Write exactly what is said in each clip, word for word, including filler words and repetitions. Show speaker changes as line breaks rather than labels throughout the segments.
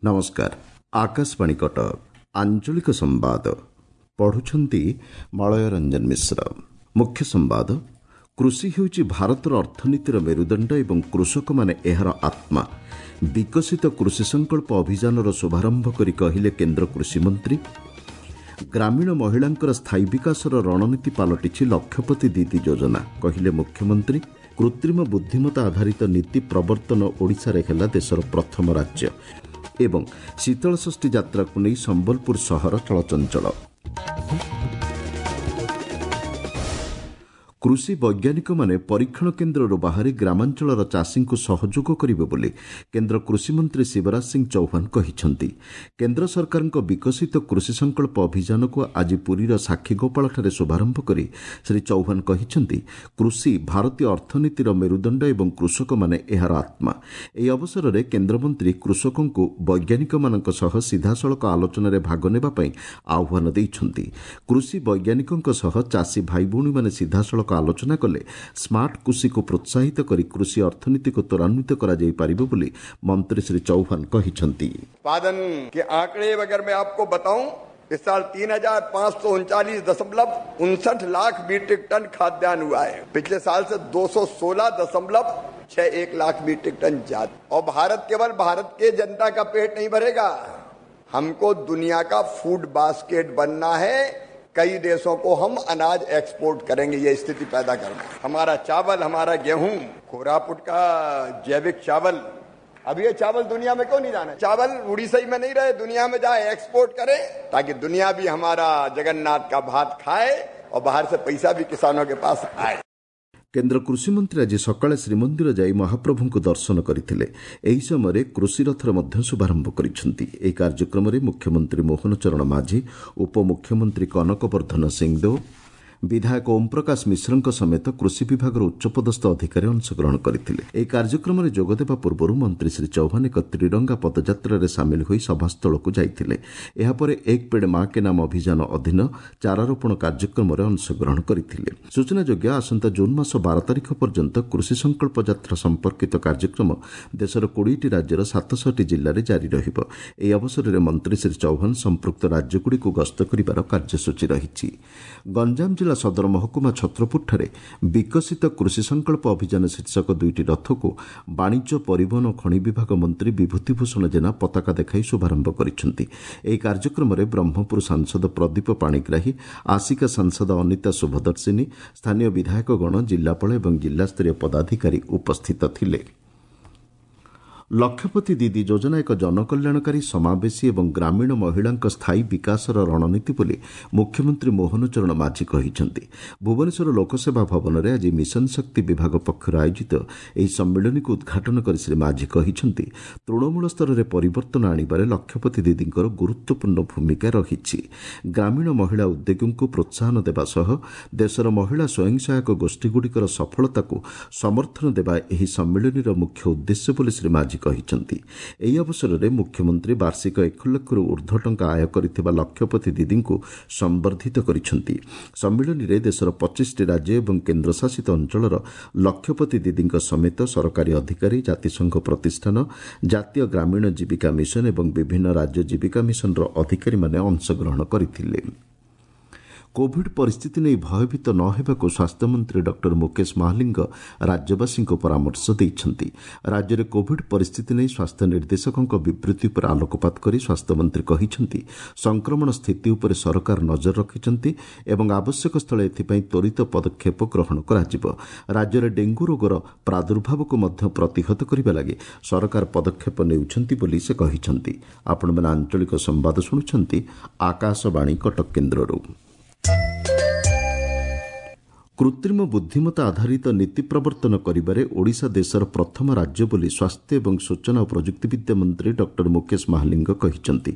ନମସ୍କାର ଆକାଶବାଣୀ କଟକ ଆଞ୍ଚଳିକ ସମ୍ବାଦ ପଢୁଛନ୍ତି ମଳୟ ରଞ୍ଜନ ମିଶ୍ର ମୁଖ୍ୟ ସମ୍ବାଦ କୃଷି ହେଉଛି ଭାରତର ଅର୍ଥନୀତିର ମେରୁଦଣ୍ଡ ଏବଂ କୃଷକମାନେ ଏହାର ଆତ୍ମା ବିକଶିତ କୃଷି ସଂକଳ୍ପ ଅଭିଯାନର ଶୁଭାରମ୍ଭ କରି କହିଲେ କେନ୍ଦ୍ର କୃଷିମନ୍ତ୍ରୀ ଗ୍ରାମୀଣ ମହିଳାଙ୍କର ସ୍ଥାୟୀ ବିକାଶର ରଣନୀତି ପାଲଟିଛି ଲକ୍ଷପତି ଦିଦି ଯୋଜନା କହିଲେ ମୁଖ୍ୟମନ୍ତ୍ରୀ କୃତ୍ରିମ ବୁଦ୍ଧିମତ୍ତା ଆଧାରିତ ନୀତି ପ୍ରବର୍ତ୍ତନ ଓଡ଼ିଶାରେ ହେଲା ଦେଶର ପ୍ରଥମ ରାଜ୍ୟ ଏବଂ ଶୀତଳଷଷ୍ଠୀ ଯାତ୍ରାକୁ ନେଇ ସମ୍ବଲପୁର ସହର ଚଳଚଞ୍ଚଳ କୃଷି ବୈଜ୍ଞାନିକମାନେ ପରୀକ୍ଷଣ କେନ୍ଦ୍ରରୁ ବାହାରି ଗ୍ରାମାଞ୍ଚଳର ଚାଷୀଙ୍କୁ ସହଯୋଗ କରିବେ ବୋଲି କେନ୍ଦ୍ର କୃଷିମନ୍ତ୍ରୀ ଶିବରାଜ ସିଂ ଚୌହାନ କହିଛନ୍ତି କେନ୍ଦ୍ର ସରକାରଙ୍କ ବିକଶିତ କୃଷି ସଂକଳ୍ପ ଅଭିଯାନକୁ ଆଜି ପୁରୀର ସାକ୍ଷୀଗୋପାଳଠାରେ ଶୁଭାରମ୍ଭ କରି ଶ୍ରୀ ଚୌହାନ କହିଛନ୍ତି କୃଷି ଭାରତୀୟ ଅର୍ଥନୀତିର ମେରୁଦଣ୍ଡ ଏବଂ କୃଷକମାନେ ଏହାର ଆତ୍ମା ଏହି ଅବସରରେ କେନ୍ଦ୍ରମନ୍ତ୍ରୀ କୃଷକଙ୍କୁ ବୈଜ୍ଞାନିକମାନଙ୍କ ସହ ସିଧାସଳଖ ଆଲୋଚନାରେ ଭାଗ ନେବା ପାଇଁ ଆହ୍ୱାନ ଦେଇଛନ୍ତି କୃଷି ବୈଜ୍ଞାନିକଙ୍କ ସହ ଚାଷୀ ଭାଇଭଉଣୀମାନେ ସିଧାସଳଖ ଆଲୋଚନା କଲେ ସ୍ମାର୍ଟ କୃଷିକୁ ପ୍ରୋତ୍ସାହିତ କରି କୃଷି ଅର୍ଥନୀତିକୁ ତ୍ୱରାନ୍ୱିତ କରାଯାଇପାରିବ ବୋଲି ମନ୍ତ୍ରୀ ଶ୍ରୀ ଚୌହାନ କହିଛନ୍ତି
उत्पादन के आंकड़े अगर मैं आपको बताऊं इस साल तीन हजार पांच सौ उनचालीस दशमलव उनसठ लाख मीट्रिक टन खाद्यान्न हुआ है पिछले साल से दो सौ सोलह दशमलव छह एक लाख मीट्रिक टन ज्यादा और भारत केवल भारत के जनता का पेट नहीं भरेगा हमको दुनिया का फूड बास्केट बनना है कई देशों को हम अनाज एक्सपोर्ट करेंगे ये स्थिति पैदा करना हमारा चावल हमारा गेहूं कोरापुट का जैविक चावल अब ये चावल दुनिया में क्यों नहीं जाना चावल उड़ीसा ही में नहीं रहे दुनिया में जाए एक्सपोर्ट करें ताकि दुनिया भी हमारा जगन्नाथ का भात खाए और बाहर से पैसा भी किसानों के पास आए
କେନ୍ଦ୍ର କୃଷିମନ୍ତ୍ରୀ ଆଜି ସକାଳେ ଶ୍ରୀମନ୍ଦିର ଯାଇ ମହାପ୍ରଭୁଙ୍କୁ ଦର୍ଶନ କରିଥିଲେ ଏହି ସମୟରେ କୃଷିରଥର ମଧ୍ୟ ଶୁଭାରମ୍ଭ କରିଛନ୍ତି ଏହି କାର୍ଯ୍ୟକ୍ରମରେ ମୁଖ୍ୟମନ୍ତ୍ରୀ ମୋହନ ଚରଣ ମାଝୀ ଉପମୁଖ୍ୟମନ୍ତ୍ରୀ କନକ ବର୍ଦ୍ଧନ ସିଂଦେଓ ବିଧାୟକ ଓମ୍ପ୍ରକାଶ ମିଶ୍ରଙ୍କ ସମେତ କୃଷି ବିଭାଗର ଉଚ୍ଚପଦସ୍ଥ ଅଧିକାରୀ ଅଂଶଗ୍ରହଣ କରିଥିଲେ ଏହି କାର୍ଯ୍ୟକ୍ରମରେ ଯୋଗଦେବା ପୂର୍ବରୁ ମନ୍ତ୍ରୀ ଶ୍ରୀ ଚୌହାନ ଏକ ତ୍ରିରଙ୍ଗା ପଦଯାତ୍ରାରେ ସାମିଲ ହୋଇ ସଭାସ୍ଥଳକୁ ଯାଇଥିଲେ ଏହାପରେ ଏକ ପେଡ୍ ମା କେ ନାମ ଅଭିଯାନ ଅଧୀନ ଚାରାରୋପଣ କାର୍ଯ୍ୟକ୍ରମରେ ଅଂଶଗ୍ରହଣ କରିଥିଲେ ସୂଚନାଯୋଗ୍ୟ ଆସନ୍ତା ଜୁନ୍ ମାସ ବାର ତାରିଖ ପର୍ଯ୍ୟନ୍ତ କୃଷି ସଂକଳ୍ପ ଯାତ୍ରା ସମ୍ପର୍କିତ କାର୍ଯ୍ୟକ୍ରମ ଦେଶର କୋଡ଼ିଏଟି ରାଜ୍ୟର ସାତଶହଟି ଜିଲ୍ଲାରେ ଜାରି ରହିବ ଏହି ଅବସରରେ ମନ୍ତ୍ରୀ ଶ୍ରୀ ଚୌହାନ ସମ୍ପୃକ୍ତ ରାଜ୍ୟଗୁଡ଼ିକୁ ଗସ୍ତ କରିବାର କାର୍ଯ୍ୟସୂଚୀ ରହିଛି ଗଞ୍ଜାମ ଜିଲ୍ଲା ସଦର ମହକୁମା ଛତ୍ରପୁରଠାରେ ବିକଶିତ କୃଷି ସଂକଳ୍ପ ଅଭିଯାନ ଶୀର୍ଷକ ଦୁଇଟି ରଥକୁ ବାଣିଜ୍ୟ ପରିବହନ ଓ ଖଣି ବିଭାଗ ମନ୍ତ୍ରୀ ବିଭୂତି ଭୂଷଣ ଜେନା ପତାକା ଦେଖାଇ ଶୁଭାରମ୍ଭ କରିଛନ୍ତି ଏହି କାର୍ଯ୍ୟକ୍ରମରେ ବ୍ରହ୍ମପୁର ସାଂସଦ ପ୍ରଦୀପ ପାଣିଗ୍ରାହୀ ଆସିକା ସାଂସଦ ଅନିତା ଶୁଭଦର୍ଶିନୀ ସ୍ଥାନୀୟ ବିଧାୟକଗଣ ଜିଲ୍ଲାପାଳ ଏବଂ ଜିଲ୍ଲାସ୍ତରୀୟ ପଦାଧିକାରୀ ଉପସ୍ଥିତ ଥିଲେ ଲକ୍ଷପତି ଦିଦି ଯୋଜନା ଏକ ଜନକଲ୍ୟାଣକାରୀ ସମାବେଶୀ ଏବଂ ଗ୍ରାମୀଣ ମହିଳାଙ୍କ ସ୍ଥାୟୀ ବିକାଶର ରଣନୀତି ବୋଲି ମୁଖ୍ୟମନ୍ତ୍ରୀ ମୋହନ ଚରଣ ମାଝୀ କହିଛନ୍ତି ଭୁବନେଶ୍ୱର ଲୋକସେବା ଭବନରେ ଆଜି ମିଶନ ଶକ୍ତି ବିଭାଗ ପକ୍ଷରୁ ଆୟୋଜିତ ଏହି ସମ୍ମିଳନୀକୁ ଉଦ୍ଘାଟନ କରି ଶ୍ରୀ ମାଝୀ କହିଛନ୍ତି ତୃଣମୂଳ ସ୍ତରରେ ପରିବର୍ତ୍ତନ ଆଣିବାରେ ଲକ୍ଷପତି ଦିଦିଙ୍କର ଗୁରୁତ୍ୱପୂର୍ଣ୍ଣ ଭୂମିକା ରହିଛି ଗ୍ରାମୀଣ ମହିଳା ଉଦ୍ୟୋଗୀଙ୍କୁ ପ୍ରୋତ୍ସାହନ ଦେବା ସହ ଦେଶର ମହିଳା ସ୍ୱୟଂ ସହାୟକ ଗୋଷ୍ଠୀଗୁଡ଼ିକର ସଫଳତାକୁ ସମର୍ଥନ ଦେବା ଏହି ସମ୍ମିଳନୀର ମୁଖ୍ୟ ଉଦ୍ଦେଶ୍ୟ ବୋଲି ଶ୍ରୀ ମାଝୀ କହିଛନ୍ତି ଏହି ଅବସରରେ ମୁଖ୍ୟମନ୍ତ୍ରୀ ବାର୍ଷିକ ଏକ ଲକ୍ଷରୁ ଉର୍ଦ୍ଧ୍ୱ ଟଙ୍କା ଆୟ କରିଥିବା ଲକ୍ଷପତି ଦିଦିଙ୍କୁ ସମ୍ବର୍ଦ୍ଧିତ କରିଛନ୍ତି ସମ୍ମିଳନୀରେ ଦେଶର ପଚିଶଟି ରାଜ୍ୟ ଏବଂ କେନ୍ଦ୍ରଶାସିତ ଅଞ୍ଚଳର ଲକ୍ଷପତି ଦିଦିଙ୍କ ସମେତ ସରକାରୀ ଅଧିକାରୀ ଜାତିସଂଘ ପ୍ରତିଷ୍ଠାନ ଜାତୀୟ ଗ୍ରାମୀଣ ଜୀବିକା ମିଶନ ଏବଂ ବିଭିନ୍ନ ରାଜ୍ୟ ଜୀବିକା ମିଶନର ଅଧିକାରୀମାନେ ଅଂଶଗ୍ରହଣ କରିଥିଲେ କୋଭିଡ୍ ପରିସ୍ଥିତି ନେଇ ଭୟଭୀତ ନ ହେବାକୁ ସ୍ୱାସ୍ଥ୍ୟମନ୍ତ୍ରୀ ଡକ୍ଟର ମୁକେଶ ମହାଲିଙ୍ଗ ରାଜ୍ୟବାସୀଙ୍କୁ ପରାମର୍ଶ ଦେଇଛନ୍ତି ରାଜ୍ୟରେ କୋଭିଡ୍ ପରିସ୍ଥିତି ନେଇ ସ୍ୱାସ୍ଥ୍ୟ ନିର୍ଦ୍ଦେଶକଙ୍କ ବିବୃତ୍ତି ଉପରେ ଆଲୋକପାତ କରି ସ୍ୱାସ୍ଥ୍ୟମନ୍ତ୍ରୀ କହିଛନ୍ତି ସଂକ୍ରମଣ ସ୍ଥିତି ଉପରେ ସରକାର ନଜର ରଖିଛନ୍ତି ଏବଂ ଆବଶ୍ୟକ ସ୍ଥଳେ ଏଥିପାଇଁ ତ୍ୱରିତ ପଦକ୍ଷେପ ଗ୍ରହଣ କରାଯିବ ରାଜ୍ୟରେ ଡେଙ୍ଗୁ ରୋଗର ପ୍ରାଦୁର୍ଭାବକୁ ମଧ୍ୟ ପ୍ରତିହତ କରିବା ଲାଗି ସରକାର ପଦକ୍ଷେପ ନେଉଛନ୍ତି ବୋଲି ସେ କହିଛନ୍ତି ଆପଣମାନେ ଆଞ୍ଚଳିକ ସମ୍ବାଦ ଶୁଣୁଛନ୍ତି ଆକାଶବାଣୀ କଟକ କେନ୍ଦ୍ରରୁ କୃତ୍ରିମ ବୁଦ୍ଧିମତ୍ତା ଆଧାରିତ ନୀତି ପ୍ରବର୍ତ୍ତନ କରିବାରେ ଓଡ଼ିଶା ଦେଶର ପ୍ରଥମ ରାଜ୍ୟ ବୋଲି ସ୍ୱାସ୍ଥ୍ୟ ଏବଂ ସୂଚନା ଓ ପ୍ରଯୁକ୍ତିବିଦ୍ୟା ମନ୍ତ୍ରୀ ଡକ୍ଟର ମୁକେଶ ମହାଲିଙ୍ଗ କହିଛନ୍ତି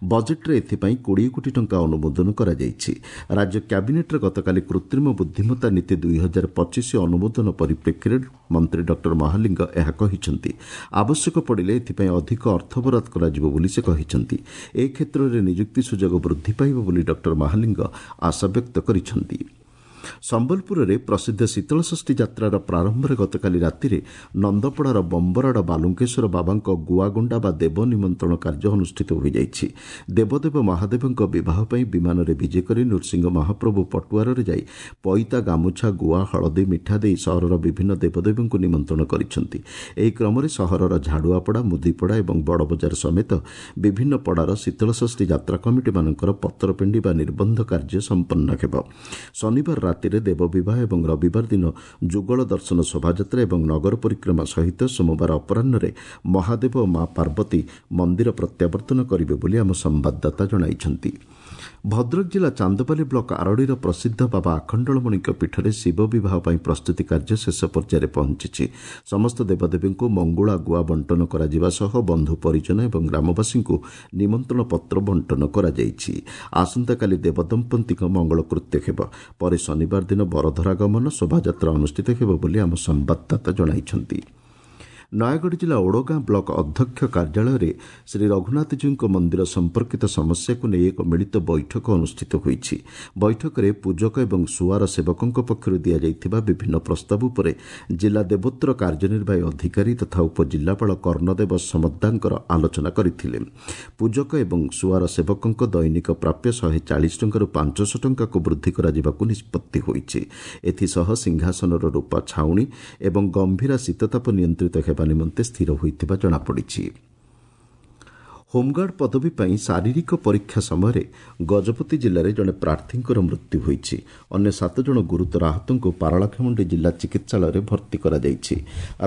ବଜେଟ୍ରେ ଏଥିପାଇଁ କୋଡ଼ିଏ କୋଟି ଟଙ୍କା ଅନୁମୋଦନ କରାଯାଇଛି ରାଜ୍ୟ କ୍ୟାବିନେଟ୍ରେ ଗତକାଲି କୃତ୍ରିମ ବୁଦ୍ଧିମତ୍ତା ନୀତି ଦୁଇ ହଜାର ପଚିଶ ଅନୁମୋଦନ ପରିପ୍ରେକ୍ଷୀରେ ମନ୍ତ୍ରୀ ଡକ୍ଟର ମହାଲିଙ୍ଗ ଏହା କହିଛନ୍ତି ଆବଶ୍ୟକ ପଡ଼ିଲେ ଏଥିପାଇଁ ଅଧିକ ଅର୍ଥ ବରାଦ କରାଯିବ ବୋଲି ସେ କହିଛନ୍ତି ଏ କ୍ଷେତ୍ରରେ ନିଯୁକ୍ତି ସୁଯୋଗ ବୃଦ୍ଧି ପାଇବ ବୋଲି ଡକ୍ଟର ମହାଲିଙ୍ଗ ଆଶାବ୍ୟକ୍ତ କରିଛନ୍ତି ସମ୍ବଲପୁରରେ ପ୍ରସିଦ୍ଧ ଶୀତଳଷଷ୍ଠୀ ଯାତ୍ରାର ପ୍ରାରମ୍ଭରେ ଗତକାଲି ରାତିରେ ନନ୍ଦପଡ଼ାର ବମ୍ବରାଡ଼ ବାଲୁଙ୍କେଶ୍ୱର ବାବାଙ୍କ ଗୁଆଗୁଣ୍ଡା ବା ଦେବ ନିମନ୍ତ୍ରଣ କାର୍ଯ୍ୟ ଅନୁଷ୍ଠିତ ହୋଇଯାଇଛି। ଦେବଦେବ ମହାଦେବଙ୍କ ବିବାହ ପାଇଁ ବିମାନରେ ବିଜେ କରି ନୃସିଂହ ମହାପ୍ରଭୁ ପଟୁଆରରେ ଯାଇ ପଇତା, ଗାମୁଛା, ଗୁଆ, ହଳଦୀ, ମିଠା ଦେଇ ସହରର ବିଭିନ୍ନ ଦେବଦେବୀଙ୍କୁ ନିମନ୍ତ୍ରଣ କରିଛନ୍ତି। ଏହି କ୍ରମରେ ସହରର ଝାଡ଼ୁଆପଡ଼ା, ମୁଦିପଡ଼ା ଏବଂ ବଡ଼ବଜାର ସମେତ ବିଭିନ୍ନ ପଡ଼ାର ଶୀତଳଷଷ୍ଠୀ ଯାତ୍ରା କମିଟିମାନଙ୍କର ପତରପିଣ୍ଡି ବା ନିର୍ବନ୍ଧ କାର୍ଯ୍ୟ ସମ୍ପନ୍ନ ହେବ। ଶନିବାର ରାତିରେ ଦେବବିବାହ ଏବଂ ରବିବାର ଦିନ ଯୁଗଳ ଦର୍ଶନ ଶୋଭାଯାତ୍ରା ଏବଂ ନଗର ପରିକ୍ରମା ସହିତ ସୋମବାର ଅପରାହ୍ନରେ ମହାଦେବ ଓ ମା ପାର୍ବତୀ ମନ୍ଦିର ପ୍ରତ୍ୟାବର୍ତ୍ତନ କରିବେ ବୋଲି ଆମ ସମ୍ବାଦଦାତା ଜଣାଇଛନ୍ତି। ଭଦ୍ରକ ଜିଲ୍ଲା ଚାନ୍ଦବାଲି ବ୍ଲକ ଆରଡ଼ିର ପ୍ରସିଦ୍ଧ ବାବା ଆଖଣ୍ଡଳମଣିଙ୍କ ପୀଠରେ ଶିବ ବିବାହ ପାଇଁ ପ୍ରସ୍ତୁତି କାର୍ଯ୍ୟ ଶେଷ ପର୍ଯ୍ୟାୟରେ ପହଞ୍ଚିଛି। ସମସ୍ତ ଦେବଦେବୀଙ୍କୁ ମଙ୍ଗୁଳା ଗୁଆ ବଣ୍ଟନ କରାଯିବା ସହ ବନ୍ଧୁ ପରିଜନ ଏବଂ ଗ୍ରାମବାସୀଙ୍କୁ ନିମନ୍ତ୍ରଣ ପତ୍ର ବଣ୍ଟନ କରାଯାଇଛି। ଆସନ୍ତାକାଲି ଦେବଦମ୍ପତିଙ୍କ ମଙ୍ଗଳକୃତ୍ୟ ହେବ। ପରେ ଶନିବାର ଦିନ ବରଧରାଗମନ ଶୋଭାଯାତ୍ରା ଅନୁଷ୍ଠିତ ହେବ ବୋଲି ଆମ ସମ୍ବାଦଦାତା ଜଣାଇଛନ୍ତି। ନୟାଗଡ଼ ଜିଲ୍ଲା ଓଡ଼ଗାଁ ବ୍ଲକ ଅଧ୍ୟକ୍ଷ କାର୍ଯ୍ୟାଳୟରେ ଶ୍ରୀ ରଘୁନାଥଜୀଉଙ୍କ ମନ୍ଦିର ସମ୍ପର୍କିତ ସମସ୍ୟାକୁ ନେଇ ଏକ ମିଳିତ ବୈଠକ ଅନୁଷ୍ଠିତ ହୋଇଛି। ବୈଠକରେ ପୂଜକ ଏବଂ ସୁଆର ସେବକଙ୍କ ପକ୍ଷରୁ ଦିଆଯାଇଥିବା ବିଭିନ୍ନ ପ୍ରସ୍ତାବ ଉପରେ ଜିଲ୍ଲା ଦେବୋତ୍ତର କାର୍ଯ୍ୟନିର୍ବାହୀ ଅଧିକାରୀ ତଥା ଉପଜିଲ୍ଲାପାଳ କର୍ଣ୍ଣଦେବ ସମଦ୍ଦାଙ୍କର ଆଲୋଚନା କରିଥିଲେ। ପୂଜକ ଏବଂ ସୁଆର ସେବକଙ୍କ ଦୈନିକ ପ୍ରାପ୍ୟ ଶହେ ଚାଳିଶ ଟଙ୍କାରୁ ପାଞ୍ଚଶହ ଟଙ୍କାକୁ ବୃଦ୍ଧି କରାଯିବାକୁ ନିଷ୍ପତ୍ତି ହୋଇଛି। ଏଥିସହ ସିଂହାସନର ରୂପା ଛାଉଣି ଏବଂ ଗମ୍ଭୀରା ଶୀତତାପ ନିୟନ୍ତ୍ରିତ ହେବା ନିମନ୍ତେ ସ୍ଥିର ହୋଇଥିବା ଜଣାପଡ଼ିଛି। ହୋମଗାର୍ଡ ପଦବୀ ପାଇଁ ଶାରୀରିକ ପରୀକ୍ଷା ସମୟରେ ଗଜପତି ଜିଲ୍ଲାରେ ଜଣେ ପ୍ରାର୍ଥୀଙ୍କର ମୃତ୍ୟୁ ହୋଇଛି। ଅନ୍ୟ ସାତ ଜଣ ଗୁରୁତର ଆହତଙ୍କୁ ପାରଳାଖେମୁଣ୍ଡି ଜିଲ୍ଲା ଚିକିତ୍ସାଳୟରେ ଭର୍ତ୍ତି କରାଯାଇଛି।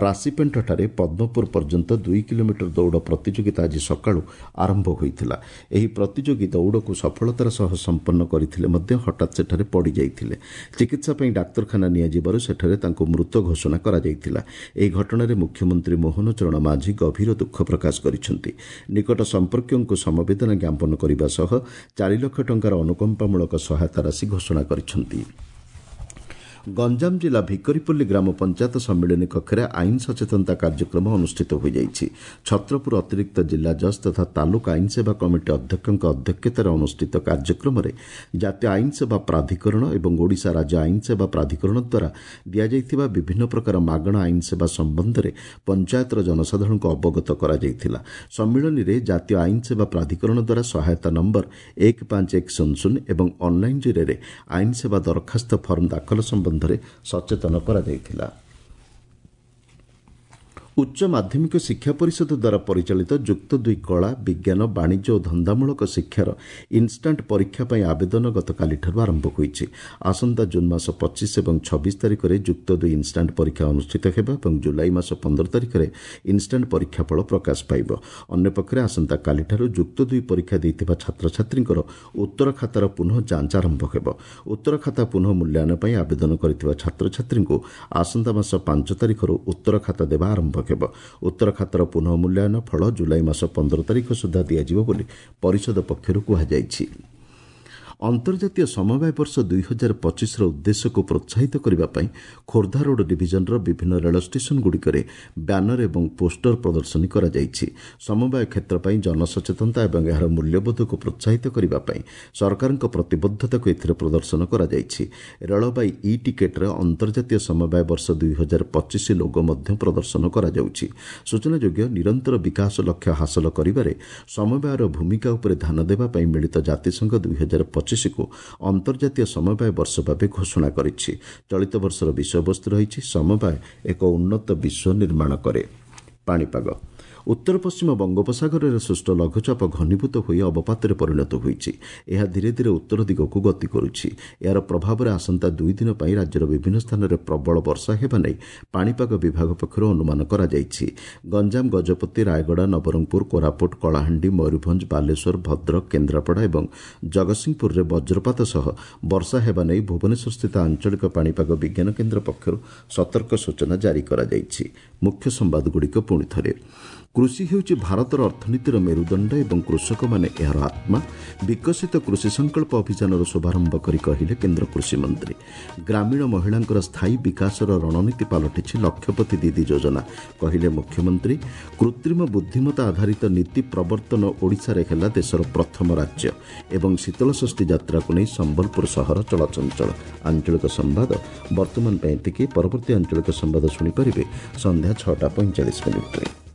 ରାଶିପେଣ୍ଠଠାରେ ପଦ୍ମପୁର ପର୍ଯ୍ୟନ୍ତ ଦୁଇ କିଲୋମିଟର ଦୌଡ଼ ପ୍ରତିଯୋଗିତା ଆଜି ସକାଳୁ ଆରମ୍ଭ ହୋଇଥିଲା। ଏହି ପ୍ରତିଯୋଗୀ ଦୌଡ଼କୁ ସଫଳତାର ସହ ସମ୍ପନ୍ନ କରିଥିଲେ ମଧ୍ୟ ହଠାତ୍ ସେଠାରେ ପଡ଼ିଯାଇଥିଲେ। ଚିକିତ୍ସା ପାଇଁ ଡାକ୍ତରଖାନା ନିଆଯିବାରୁ ସେଠାରେ ତାଙ୍କୁ ମୃତ ଘୋଷଣା କରାଯାଇଥିଲା। ଏହି ଘଟଣାରେ ମୁଖ୍ୟମନ୍ତ୍ରୀ ମୋହନ ଚରଣ ମାଝୀ ଗଭୀର ଦୁଃଖ ପ୍ରକାଶ କରିଛନ୍ତି। ନିକଟ ସମ୍ପର୍କୀୟଙ୍କୁ ସମବେଦନା ଜ୍ଞାପନ କରିବା ସହ ଚାରି ଲକ୍ଷ ଟଙ୍କାର ଅନୁକମ୍ପାମୂଳକ ସହାୟତା ରାଶି ଘୋଷଣା କରିଛନ୍ତି। ଗଞ୍ଜାମ ଜିଲ୍ଲା ଭିକରିପଲ୍ଲୀ ଗ୍ରାମ ପଞ୍ଚାୟତ ସମ୍ମିଳନୀ କକ୍ଷରେ ଆଇନ ସଚେତନତା କାର୍ଯ୍ୟକ୍ରମ ଅନୁଷ୍ଠିତ ହୋଇଯାଇଛି। ଛତ୍ରପୁର ଅତିରିକ୍ତ ଜିଲ୍ଲା ଜଜ୍ ତଥା ତାଲୁକ ଆଇନ ସେବା କମିଟି ଅଧ୍ୟକ୍ଷଙ୍କ ଅଧ୍ୟକ୍ଷତାରେ ଅନୁଷ୍ଠିତ କାର୍ଯ୍ୟକ୍ରମରେ ଜାତୀୟ ଆଇନ ସେବା ପ୍ରାଧିକରଣ ଏବଂ ଓଡ଼ିଶା ରାଜ୍ୟ ଆଇନ ସେବା ପ୍ରାଧିକରଣ ଦ୍ୱାରା ଦିଆଯାଇଥିବା ବିଭିନ୍ନ ପ୍ରକାର ମାଗଣା ଆଇନ ସେବା ସମ୍ବନ୍ଧରେ ପଞ୍ଚାୟତର ଜନସାଧାରଣଙ୍କୁ ଅବଗତ କରାଯାଇଥିଲା। ସମ୍ମିଳନୀରେ ଜାତୀୟ ଆଇନ ସେବା ପ୍ରାଧିକରଣ ଦ୍ୱାରା ସହାୟତା ନମ୍ବର ଏକ ପାଞ୍ଚ ଏକ ଶୂନ ଶୂନ ଏବଂ ଅନ୍ଲାଇନ୍ ଜରିଆରେ ଆଇନ ସେବା ଦରଖାସ୍ତ ଫର୍ମ ଦାଖଲ ସମ୍ବନ୍ଧରେ ସଚେତନ କରାଯାଇଥିଲା। ଉଚ୍ଚ ମାଧ୍ୟମିକ ଶିକ୍ଷା ପରିଷଦ ଦ୍ୱାରା ପରିଚାଳିତ ଯୁକ୍ତ ଦୁଇ କଳା, ବିଜ୍ଞାନ, ବାଣିଜ୍ୟ ଓ ଧନ୍ଦାମୂଳକ ଶିକ୍ଷାର ଇନ୍ଷ୍ଟାଣ୍ଟ ପରୀକ୍ଷା ପାଇଁ ଆବେଦନ ଗତକାଲିଠାରୁ ଆରମ୍ଭ ହୋଇଛି। ଆସନ୍ତା ଜୁନ୍ ମାସ ପଚିଶ ଏବଂ ଛବିଶ ତାରିଖରେ ଯୁକ୍ତ ଦୁଇ ଇନ୍ଷ୍ଟାଣ୍ଟ ପରୀକ୍ଷା ଅନୁଷ୍ଠିତ ହେବ ଏବଂ ଜୁଲାଇ ମାସ ପନ୍ଦର ତାରିଖରେ ଇନ୍ଷ୍ଟାଣ୍ଟ ପରୀକ୍ଷା ଫଳ ପ୍ରକାଶ ପାଇବ। ଅନ୍ୟପକ୍ଷରେ ଆସନ୍ତାକାଲିଠାରୁ ଯୁକ୍ତ ଦୁଇ ପରୀକ୍ଷା ଦେଇଥିବା ଛାତ୍ରଛାତ୍ରୀଙ୍କର ଉତ୍ତର ଖାତାର ପୁନଃ ଯାଞ୍ଚ ଆରମ୍ଭ ହେବ। ଉତ୍ତର ଖାତା ପୁନଃ ମୂଲ୍ୟାୟନ ପାଇଁ ଆବେଦନ କରିଥିବା ଛାତ୍ରଛାତ୍ରୀଙ୍କୁ ଆସନ୍ତା ମାସ ପାଞ୍ଚ ତାରିଖରୁ ଉତ୍ତର ଖାତା ଦେବା ଆରମ୍ଭ ହେବ। ଉତ୍ତର ଖାତାର ପୁନଃ ମୂଲ୍ୟାୟନ ଫଳ ଜୁଲାଇ ମାସ ପନ୍ଦର ତାରିଖ ସୁଦ୍ଧା ଦିଆଯିବ ବୋଲି ପରିଷଦ ପକ୍ଷରୁ କୁହାଯାଇଛି। ଅନ୍ତର୍ଜାତୀୟ ସମବାୟ ବର୍ଷ ଦୁଇ ହଜାର ପଚିଶର ଉଦ୍ଦେଶ୍ୟକୁ ପ୍ରୋତ୍ସାହିତ କରିବା ପାଇଁ ଖୋର୍ଦ୍ଧା ରୋଡ୍ ଡିଭିଜନର ବିଭିନ୍ନ ରେଳ ଷ୍ଟେସନଗୁଡ଼ିକରେ ବ୍ୟାନର ଏବଂ ପୋଷ୍ଟର ପ୍ରଦର୍ଶନୀ କରାଯାଇଛି। ସମବାୟ କ୍ଷେତ୍ର ପାଇଁ ଜନସଚେତନତା ଏବଂ ଏହାର ମୂଲ୍ୟବୋଧକୁ ପ୍ରୋତ୍ସାହିତ କରିବା ପାଇଁ ସରକାରଙ୍କ ପ୍ରତିବଦ୍ଧତାକୁ ଏଥିରେ ପ୍ରଦର୍ଶନ କରାଯାଇଛି। ରେଳବାଇ ଇ ଟିକେଟ୍ରେ ଅନ୍ତର୍ଜାତୀୟ ସମବାୟ ବର୍ଷ ଦୁଇ ହଜାର ପଚିଶ ଲୋଗୋ ମଧ୍ୟ ପ୍ରଦର୍ଶନ କରାଯାଉଛି। ସୂଚନାଯୋଗ୍ୟ, ନିରନ୍ତର ବିକାଶ ଲକ୍ଷ୍ୟ ହାସଲ କରିବାରେ ସମବାୟର ଭୂମିକା ଉପରେ ଧ୍ୟାନ ଦେବା ପାଇଁ ମିଳିତ ଜାତିସଂଘ ଦୁଇ ହଜାର ପଚିଶକୁ ଅନ୍ତର୍ଜାତୀୟ ସମବାୟ ବର୍ଷ ଭାବେ ଘୋଷଣା କରିଛି। ଚଳିତ ବର୍ଷର ବିଷୟବସ୍ତୁ ରହିଛି ସମବାୟ ଏକ ଉନ୍ନତ ବିଶ୍ୱ ନିର୍ମାଣ କରେ। ପାଣିପାଗ ଉତ୍ତର ପଶ୍ଚିମ ବଙ୍ଗୋପସାଗରରେ ସୃଷ୍ଟ ଲଘୁଚାପ ଘନୀଭୂତ ହୋଇ ଅବପାତରେ ପରିଣତ ହୋଇଛି। ଏହା ଧୀରେ ଧୀରେ ଉତ୍ତର ଦିଗକୁ ଗତି କରୁଛି। ଏହାର ପ୍ରଭାବରେ ଆସନ୍ତା ଦୁଇ ଦିନ ପାଇଁ ରାଜ୍ୟର ବିଭିନ୍ନ ସ୍ଥାନରେ ପ୍ରବଳ ବର୍ଷା ହେବା ନେଇ ପାଣିପାଗ ବିଭାଗ ପକ୍ଷରୁ ଅନୁମାନ କରାଯାଇଛି। ଗଞ୍ଜାମ, ଗଜପତି, ରାୟଗଡ଼ା, ନବରଙ୍ଗପୁର, କୋରାପୁଟ, କଳାହାଣ୍ଡି, ମୟୂରଭଞ୍ଜ, ବାଲେଶ୍ୱର, ଭଦ୍ରକ, କେନ୍ଦ୍ରାପଡ଼ା ଏବଂ ଜଗତସିଂହପୁରରେ ବଜ୍ରପାତ ସହ ବର୍ଷା ହେବା ନେଇ ଭୁବନେଶ୍ୱରସ୍ଥିତ ଆଞ୍ଚଳିକ ପାଣିପାଗ ବିଜ୍ଞାନ କେନ୍ଦ୍ର ପକ୍ଷରୁ ସତର୍କ ସୂଚନା ଜାରି କରାଯାଇଛି। ମୁଖ୍ୟ ସମ୍ବାଦଗୁଡ଼ିକ ପୁଣି ଥରେ। କୃଷି ହେଉଛି ଭାରତର ଅର୍ଥନୀତିର ମେରୁଦଣ୍ଡ ଏବଂ କୃଷକମାନେ ଏହାର ଆତ୍ମା। ବିକଶିତ କୃଷି ସଂକଳ୍ପ ଅଭିଯାନର ଶୁଭାରମ୍ଭ କରି କହିଲେ କେନ୍ଦ୍ର କୃଷିମନ୍ତ୍ରୀ। ଗ୍ରାମୀଣ ମହିଳାଙ୍କର ସ୍ଥାୟୀ ବିକାଶର ରଣନୀତି ପାଲଟିଛି ଲକ୍ଷପତି ଦିଦି ଯୋଜନା, କହିଲେ ମୁଖ୍ୟମନ୍ତ୍ରୀ। କୃତ୍ରିମ ବୁଦ୍ଧିମତ୍ତା ଆଧାରିତ ନୀତି ପ୍ରବର୍ତ୍ତନ ଓଡ଼ିଶାରେ ହେଲା ଦେଶର ପ୍ରଥମ ରାଜ୍ୟ। ଏବଂ ଶୀତଳଷଷ୍ଠୀ ଯାତ୍ରାକୁ ନେଇ ସମ୍ବଲପୁର ସହର ଚଳଚଞ୍ଚଳ। ଆଞ୍ଚଳିକ ସମ୍ବାଦ ବର୍ତ୍ତମାନ ପାଇଁ ଏତିକି। ପରବର୍ତ୍ତୀ ଆଞ୍ଚଳିକ ସମ୍ବାଦ ଶୁଣିପାରିବେ ସନ୍ଧ୍ୟା ଛଅଟା ପଇଁଚାଳିଶ ମିନିଟ୍ରେ।